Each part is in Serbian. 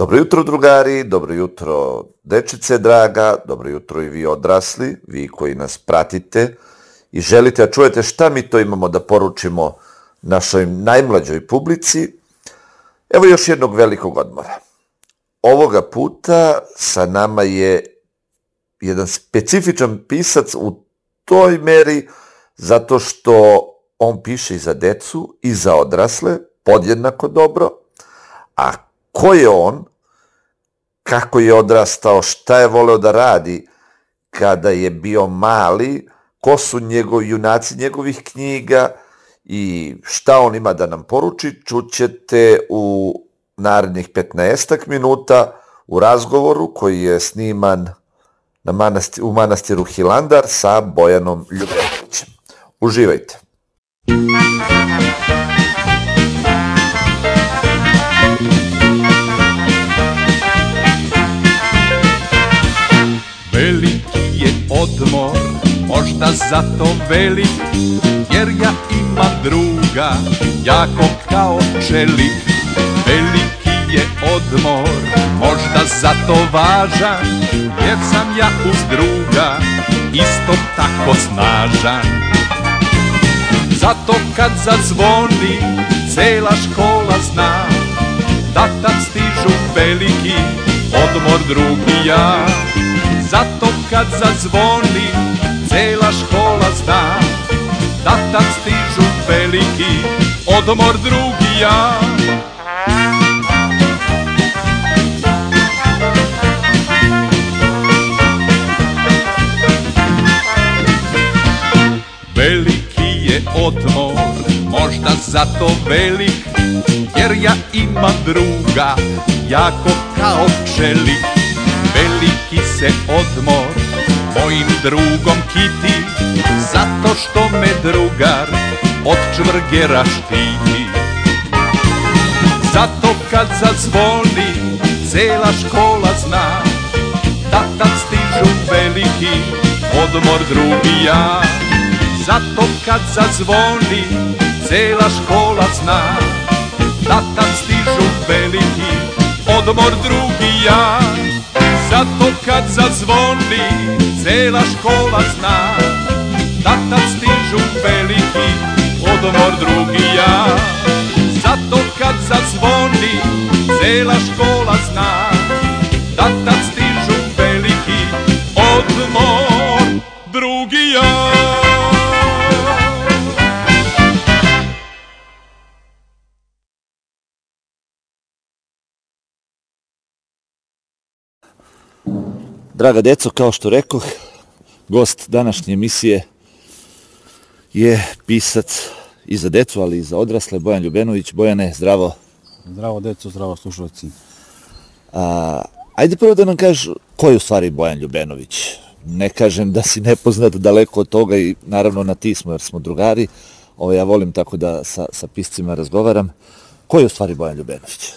Dobro jutro, drugari, dobro jutro, dečice draga, dobro jutro i vi odrasli, vi koji nas pratite i želite da čujete šta mi to imamo da poručimo našoj najmlađoj publici. Evo još jednog velikog odmora. Ovoga puta sa nama je jedan specifičan pisac u toj meri zato što on piše i za decu i za odrasle, podjednako dobro, a ko je on, kako je odrastao, šta je voleo da radi kada je bio mali, ko su junaci njegovih knjiga i šta on ima da nam poruči, čućete u narednih 15 minuta u razgovoru koji je sniman u manastiru Hilandar sa Bojanom Ljubenovićem. Uživajte! Veliki je odmor, možda zato velik, jer ja imam druga, jako kao čelik. Veliki je odmor, možda zato važan, jer sam ja uz druga, isto tako snažan. Zato kad zazvoni, cela škola zna, da tad stižu veliki, odmor drugi ja. Zato kad zazvoni, cela škola zna, da tad stižu veliki, odmor drugi ja. Veliki je odmor, možda zato velik, jer ja imam druga, jako kao čelik. Veliki se odmor mojim drugom kiti, zato što me drugar od čvrgera štiti. Zato kad zazvoni, cela škola zna, da tad stižu veliki, odmor drugi ja. Zato kad zazvoni, cela škola zna, da tad stižu veliki, odmor drugi ja. Zato kad zazvoni, cela škola zna, da tad stižu veliki, odmor drugi ja. Zato kad zazvoni, cela škola zna, da tad stižu veliki, odmor drugi ja. Draga deco, kao što rekoh, gost današnje emisije je pisac i za decu, ali i za odrasle, Bojan Ljubenović. Bojane, zdravo. Zdravo deco, zdravo slušalci. Ajde prvo da nam kažeš ko je u stvari Bojan Ljubenović. Ne kažem da si nepoznat, daleko od toga i naravno na ti smo jer smo drugari. Ja volim tako da sa piscima razgovaram. Ko je u stvari Bojan Ljubenović?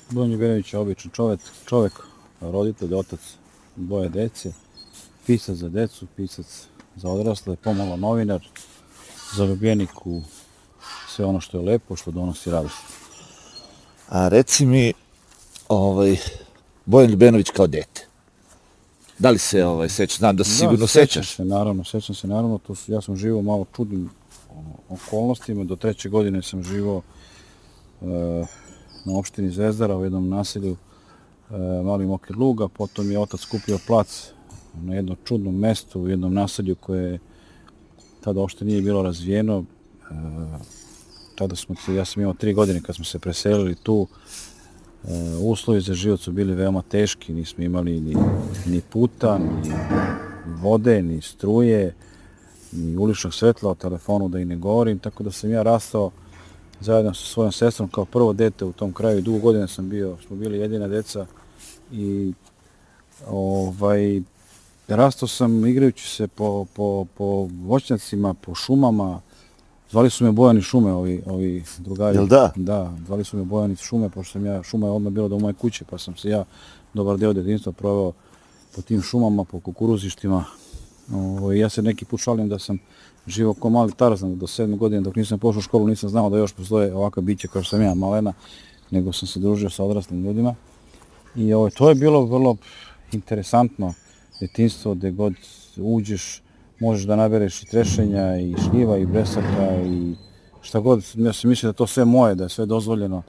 Bojan Ljubenović je običan čovek, roditelj, otac dvoje dece, pisac za decu, pisac za odrasle, pomalo novinar, zaljubljenik u sve ono što je lepo, što donosi radost. A reci mi, Bojan Ljubenović kao dete, da li se sećaš? Znam da se sigurno sećaš. Sećam se naravno, ja sam živao malo čudnim okolnostima, do 3. godine sam živao na opštini Zvezdara u jednom naselju Mali Mokir Luga, potom je otac kupio plac na jednom čudnom mestu u jednom naselju koje tada uopšte nije bilo razvijeno. Ja sam imao 3 godine kad smo se preselili tu. Uslovi za život su bili veoma teški, nismo imali ni puta, ni vode, ni struje, ni uličnog svetla, o telefonu da i ne govorim, tako da sam ja rastao zajedno sa svojom sestrom kao prvo dete u tom kraju. Dugo godina smo bili jedina deca i rastao sam igrajući se po voćnjacima, po šumama. Zvali su me Bojani šume, ovi drugari. Jel da? Da, zvali su me Bojani šume, pošto šuma je odmah bila do moje kuće, pa sam se ja dobar deo detinjstva proveo po tim šumama, po kukuruzištima. Ja se neki put šalim da sam živao kao mali Tarzan do 7. godine, dok nisam pošao u školu, nisam znao da još postoje ovakva bića kao što sam ja, malena, nego sam se družio sa odraslim ljudima. I to je bilo vrlo interesantno detinjstvo, gde god uđeš možeš da nabereš i trešenja, i šljiva, i bresaka, i šta god. Ja sam mislio da to sve moje, da je sve dozvoljeno,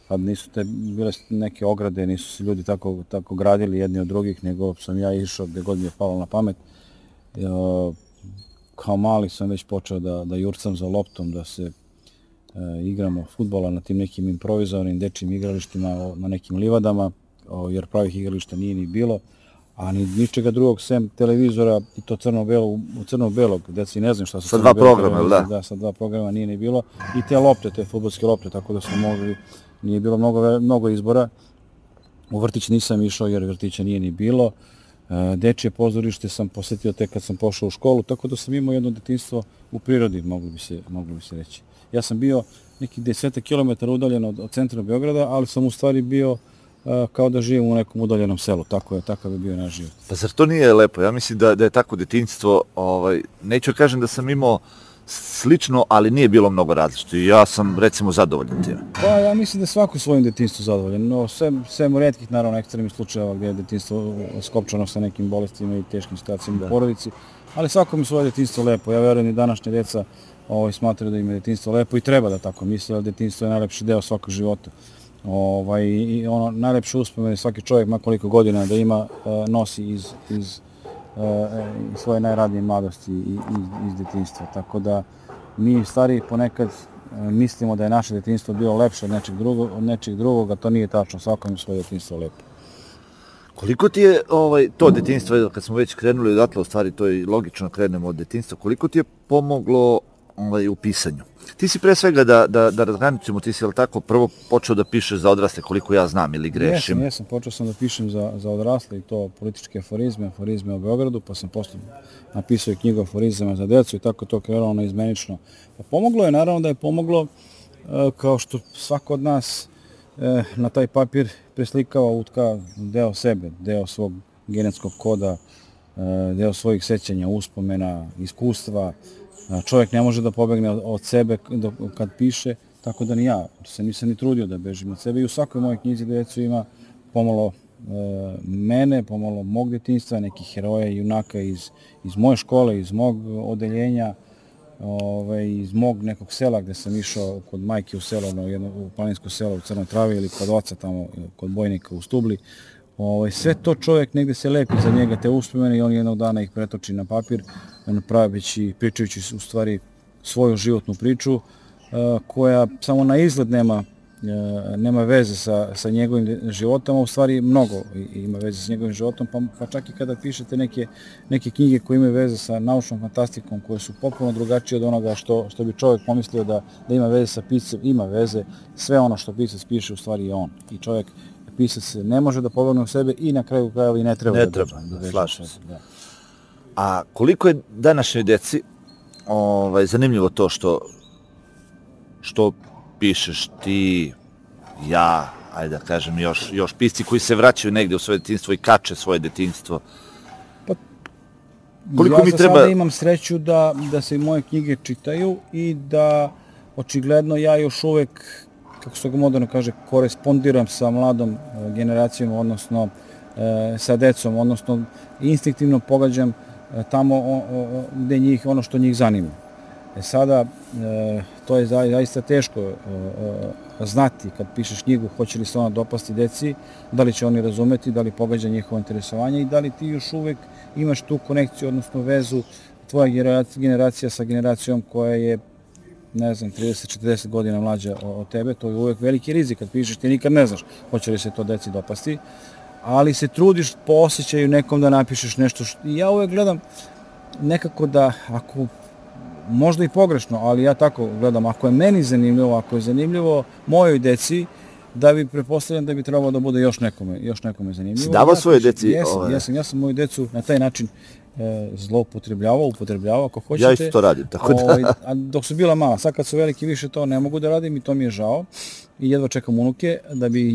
kad nisu bile neke ograde, nisu se ljudi tako gradili jedni od drugih, nego sam ja išao gde god mi je palo na pamet. Kao mali sam već počeo da jurcam za loptom, da se igramo fudbala na tim nekim improvizovanim dečjim igralištima, na nekim livadama, jer pravih igrališta nije ni bilo, a ni ničega drugog sem televizora, i to crno-belog, deci ne znam šta su sa 2 programa, da? Da, sa 2 programa nije ni bilo, i te lopte, te fudbalske lopte, tako da smo mogli, nije bilo mnogo izbora. U vrtić nisam išao jer vrtića nije ni bilo. Dečje pozorište sam posetio tek kad sam pošao u školu, tako da sam imao jedno detinjstvo u prirodi, moglo bi se reći. Ja sam bio nekih 10 km udaljen od centra Beograda, ali sam u stvari bio kao da živim u nekom udaljenom selu, takav je bio naš život. Pa zar to nije lepo? Ja mislim da je tako detinjstvo, neću da kažem da sam imao slično, ali nije bilo mnogo različito i ja sam recimo zadovoljan time. Pa ja mislim da svako svojim detinjstvom zadovoljan, no sem u retkih naravno ekstremnih slučajeva gdje je detinjstvo skopčano sa nekim bolestima i teškim situacijama u porodici, ali svako mi svoje detinjstvo lepo. Ja verujem i današnje djeca smatraju da im je detinjstvo lepo i treba da tako misle, ali detinjstvo je najlepši deo svakog života. I ono najlepše uspomene svaki čovjek, ma koliko godina da ima, nosi iz svoje najradnije mladosti i iz detinjstva. Tako da mi stariji ponekad mislimo da je naše detinjstvo bilo lepše od nečeg drugog, a to nije tačno, svako ima svoje detinjstvo lepo. Koliko ti je to detinjstvo, kad smo već krenuli odatle, u stvari to je logično krenemo od detinjstva, koliko ti je pomoglo u pisanju? Ti si pre svega, da razgraničimo, ti si, jel tako, prvo počeo da pišeš za odrasle, koliko ja znam, ili grešim? Jesam, počeo sam da pišem za odrasle, i to političke aforizme o Beogradu, pa sam posle napisao i knjigu aforizama za decu i tako to krenulo naizmenično. Pa pomoglo je, naravno da je pomoglo, kao što svako od nas na taj papir preslikava, utka deo sebe, deo svog genetskog koda, deo svojih sećanja, uspomena, iskustva. Čovjek ne može da pobegne od sebe kad piše, tako da ni ja se nisam ni trudio da bežim od sebe, i u svakoj mojoj knjizi decu ima pomalo mene, pomalo mog detinjstva, nekih heroja i junaka iz moje škole, iz mog odeljenja, iz mog nekog sela gde sam išao kod majke u selo, u planinsko selo u Crnoj Travi, ili kod oca tamo kod Bojnika u Stubli. Sve to čovjek negde se lepi za njega, te uspomene, i on jednog dana ih pretoči na papir, praveći, pričajući u stvari svoju životnu priču, koja samo na izgled nema veze sa njegovim životom, a u stvari mnogo ima veze sa njegovim životom, pa čak i kada pišete neke knjige koje imaju veze sa naučnom fantastikom, koje su potpuno drugačije od onoga što bi čovjek pomislio da ima veze sa piscem, ima veze, sve ono što pisac piše u stvari je on. I čovjek, pisac ne može da pobegne u sebe i na kraju krajeva i ne treba da slažem se. A koliko je današnjoj deci zanimljivo to što pišeš ti, ja, ajde da kažem, još pisci koji se vraćaju negdje u svoje detinjstvo i kače svoje detinjstvo? Ja za sada imam sreću da se moje knjige čitaju i da očigledno ja još uvek, kako se ga moderno kaže, korespondiram sa mladom generacijom, odnosno sa decom, odnosno instinktivno pogađam tamo gde njih, ono što njih zanima. Sada, to je zaista teško znati kad pišeš knjigu, hoće li se ona dopasti deci, da li će oni razumeti, da li pogađa njihovo interesovanje i da li ti još uvek imaš tu konekciju, odnosno vezu tvoja generacija sa generacijom koja je, ne znam, 30-40 godina mlađa od tebe. To je uvek veliki rizik kad pišeš, ti nikad ne znaš hoće li se to deci dopasti, ali se trudiš po osjećaju nekom da napišeš nešto. I ja uvek gledam nekako da, ako možda i pogrešno, ali ja tako gledam, ako je meni zanimljivo, ako je zanimljivo mojoj deci, da bi pretpostavljam da bi trebalo da bude još nekome zanimljivo. Si davao svoje deci? Ja sam moju decu na taj način upotrebljavao, ako hoćete. Ja isto to radim, tako da. A dok su bila mala, sad kad su veliki više to ne mogu da radim i to mi je žao. I jedva čekam unuke da bi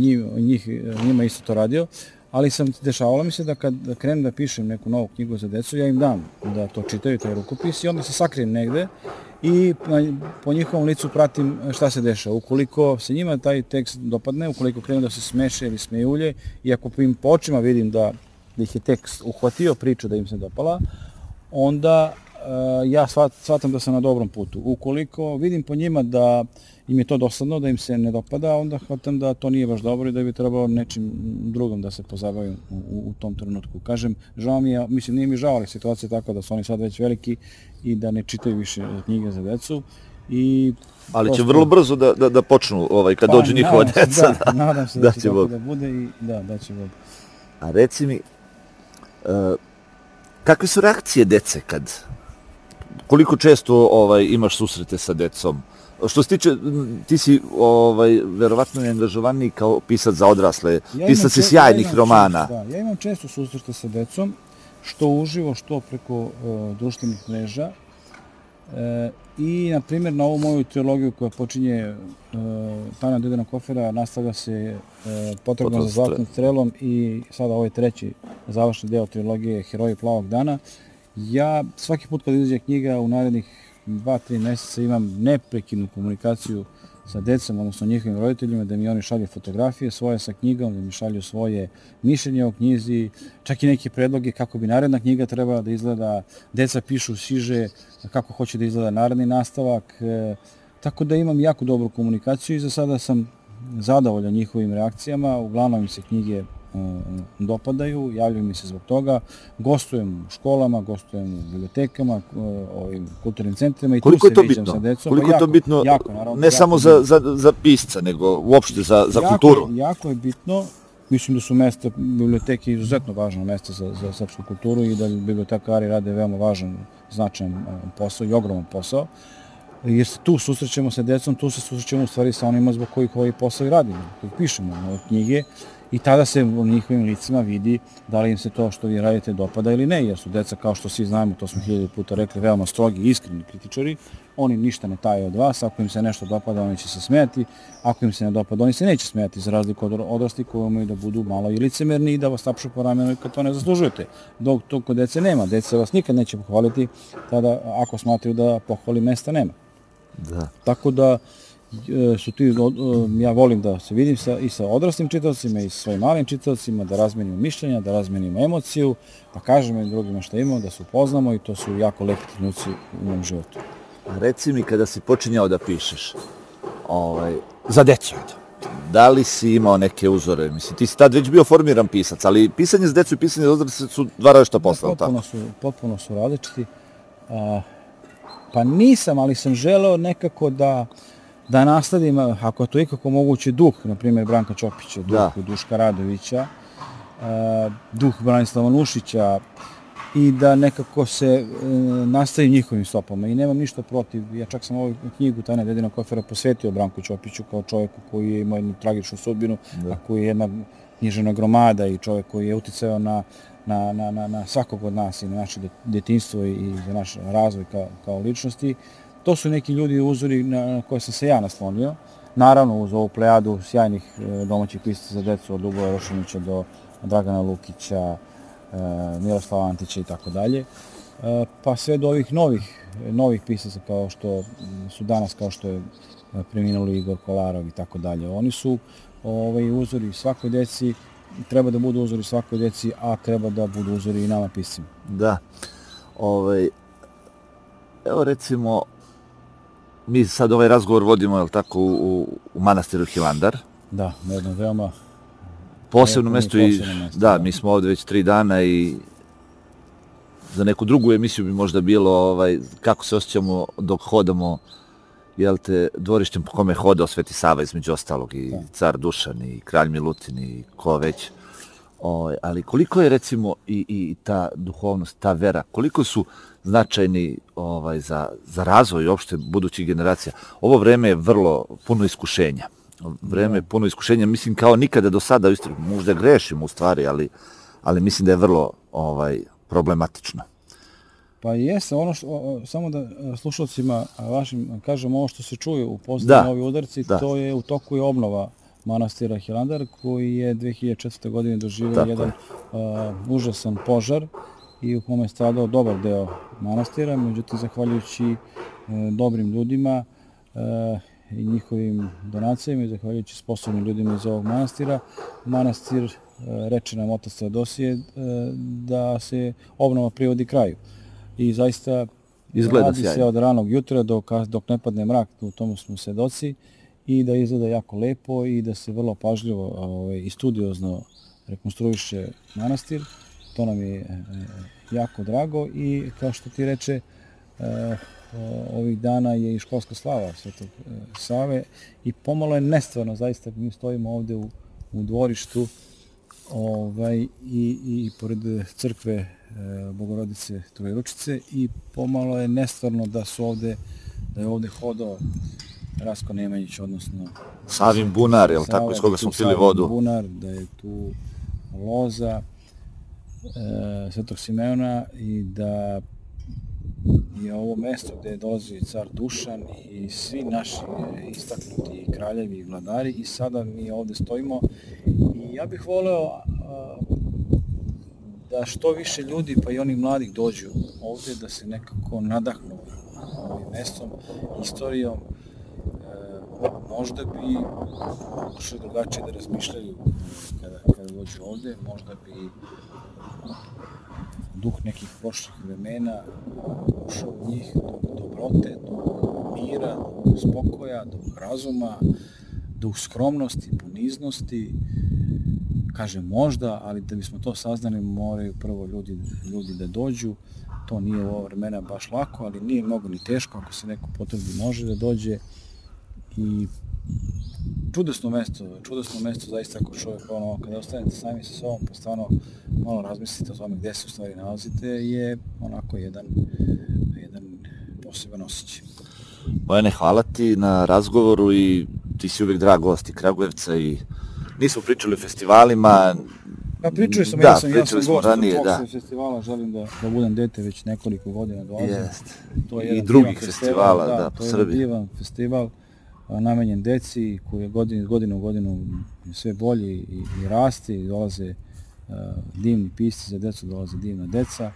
njima isto to radio. ali dešavalo mi se da kad krenem da pišem neku novu knjigu za decu, ja im dam da to čitaju, taj rukopis, i onda se sakrijem negde i po njihovom licu pratim šta se dešava. Ukoliko se njima taj tekst dopadne, ukoliko krenu da se smeše ili smejulje, i ako im po očima vidim da ih je tekst uhvatio, priča da im se dopala, onda ja shvatam da sam na dobrom putu. Ukoliko vidim po njima da im je to dosadno, da im se ne dopada, onda shvatam da to nije baš dobro i da bi trebalo nečim drugom da se pozabavim u tom trenutku. Kažem, žao mi je, mislim, nije mi žao, ali situacija je takva da su oni sad već veliki i da ne čitaju više knjige za decu. Ali će vrlo brzo da počnu kad dođu njihova deca. Nadam se da će tako da bude i da će Bog. A reci mi, kakve su reakcije dece koliko često imaš susrete sa decom? Što se tiče, ti si verovatno angažovaniji kao pisac za odrasle, pisac si sjajnih romana. Ja imam često susrete sa decom, što uživo, što preko društvenih mreža. I, na primjer, na ovu moju trilogiju koja počinje Tajna Dedenog kofera, nastavlja se Potragom za zlatnom strelom i sada ovaj treći završni deo trilogije Heroji plavog dana. Ja svaki put kad izađe knjiga u narednih 2-3 meseca imam neprekidnu komunikaciju sa decom, odnosno njihovim roditeljima, da mi oni šalju fotografije svoje sa knjigom, da mi šalju svoje mišljenje o knjizi, čak i neke predloge kako bi naredna knjiga trebala da izgleda. Deca pišu siže kako hoće da izgleda naredni nastavak, tako da imam jako dobru komunikaciju i za sada sam zadovoljan njihovim reakcijama. Uglavnom mi se knjige dopadaju, javljaju mi se zbog toga. Gostujem u školama, gostujem u bibliotekama, ovim kulturnim centrima i tu se viđam sa decom. Koliko je to bitno, ne samo za pisca, nego uopšte za kulturu? Jako je bitno. Mislim da su mesta, biblioteke, izuzetno važno mesta za srpsku kulturu i da bibliotekari rade veoma važan, značajan posao i ogroman posao. Jer se tu susrećemo sa decom, tu se susrećemo u stvari sa onima zbog kojih ovaj posao i radimo, kojih pišemo ove knjige, i tada se u njihovim licima vidi da li im se to što vi radite dopada ili ne, jer su deca, kao što svi znamo, to smo 1000 puta rekli, veoma strogi i iskreni kritičari. Oni ništa ne taje od vas. Ako im se nešto dopada, oni će se smijati. Ako im se ne dopada, oni se neće smijati, za razliku od odraslih koji imaju da budu malo i licemerni i da vas tapšu po ramenu kad to ne zaslužujete. Dok to kod dece nema. Deca vas nikad neće pohvaliti tada ako smatraju da pohvali mesta nema. Da. Tako da ja volim da se vidim i sa odraslim čitaocima i sa svojim malim čitaocima, da razmenimo mišljenja, da razmenimo emociju, da kažemo i drugima šta imamo, da se upoznamo, i to su jako lepi trenuci u mom životu. Reci mi, kada si počinjao da pišeš za decu, da li si imao neke uzore? Mislim, ti si tad već bio formiran pisac, ali pisanje za decu i pisanje za odrasle su dva različita posla. Potpuno su različiti. Pa nisam, ali sam želeo nekako da nasledim, ako je to ikako moguće, duh, na primjer, Branka Ćopića, duh Duška Radovića, duh Branislava Nušića, i da nekako se nastavim njihovim stopama. I nemam ništa protiv. Ja čak sam ovu knjigu Tajna Dedenog kofera posvetio Branku Ćopiću kao čovjeku koji je imao jednu tragičnu sudbinu, a koji je jedna književna gromada i čovjek koji je uticao na svakog od nas i na naše detinjstvo i za naš razvoj kao ličnosti. To su neki ljudi uzori na koje sam se ja naslonio. Naravno, uz ovu plejadu sjajnih domaćih pisaca za decu, od Ljuboja Rošinića do Dragana Lukića, Miroslava Antića i tako dalje. Pa sve do ovih novih pisaca kao što su danas, kao što je preminuli Igor Kolarov i tako dalje. Oni su uzori svakoj deci, treba da budu uzori svakoj deci, a treba da budu uzori i nama piscima. Da. Evo recimo, mi sad ovaj razgovor vodimo, jel tako, u manastiru Hilandar. Da, na jednom veoma posebno mesto. Da, mi smo ovdje već 3 dana i za neku drugu emisiju bi možda bilo kako se osjećamo dok hodamo, jel te, dvorištem po kome je hodao Sveti Sava, između ostalog, i car Dušan i kralj Milutin i ko već. Ali koliko je, recimo, i ta duhovnost, ta vera, koliko su značajni za razvoj uopšte budućih generacija. Ovo vreme je vrlo puno iskušenja. Puno iskušenja, mislim, kao nikada do sada, možda grešimo u stvari, ali mislim da je vrlo problematično. Pa jeste, samo da slušalcima vašim kažem, ovo što se čuje u posljednjem ovi udarci, to je u toku je obnova manastira Hilandar, koji je 2004. godine doživio jedan užasan požar i u kome je stradao dobar deo manastira. Međutim, zahvaljujući dobrim ljudima i njihovim donacijama i zahvaljujući sposobnim ljudima iz ovog manastira, manastir, reče nam otac Teodosije, da se obnova privodi kraju. I zaista radi se od ranog jutra dok ne padne mrak, u tomu smo svedoci, i da izgleda jako lepo i da se vrlo pažljivo i studiozno rekonstruiše manastir. To nam je jako drago i kao što ti reče, ovih dana je i školska slava Svetog Save i pomalo je nestvarno, zaista mi stojimo ovde u dvorištu i pored crkve Bogorodice Trojeručice i pomalo je nestvarno da je ovde hodao Rasko Nemanjić, odnosno Savin bunar, je li tako, iz koga smo pili vodu? Savin bunar, da je tu loza Svetog Simeona i da je ovo mesto gde dolazi car Dušan i svi naši istaknuti kraljevi i vladari i sada mi ovde stojimo i ja bih voleo da što više ljudi, pa i onih mladih, dođu ovde da se nekako nadahnu ovim mestom, istorijom. Možda bi pokušali drugačije da razmišljaju kada dođu ovde, možda bi duh nekih prošlih vremena ušao u njih, do dobrote, do mira, do spokoja, do razuma, do skromnosti, poniznosti. Kažem možda, ali da bismo to saznali moraju prvo ljudi da dođu. To nije u ovo vremena baš lako, ali nije mnogo ni teško, ako se neko potrebi može da dođe. I čudesno mesto zaista ako čovjek kada ostanete sami sa sobom pa stvarno malo razmislite o tome gde se u stvari nalazite, je onako jedan poseban osjećaj. Bojane, hvala ti na razgovoru i ti si uvijek drag gost i Kragujevca i nismo pričali o festivalima. Pa pričali smo, ja sam gost tog festivala, želim da budem dete već nekoliko godina dolazim. I drugih festivala, po Srbiji. To je divan festival namenjen deci koji je godinu u godinu sve bolji i rasti i dolaze divni pisci za decu, dolaze divna deca.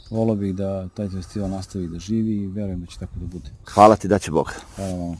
Volio bih da taj festival nastavi da živi i verujem da će tako da bude. Hvala ti, da će Bog. Hvala vam.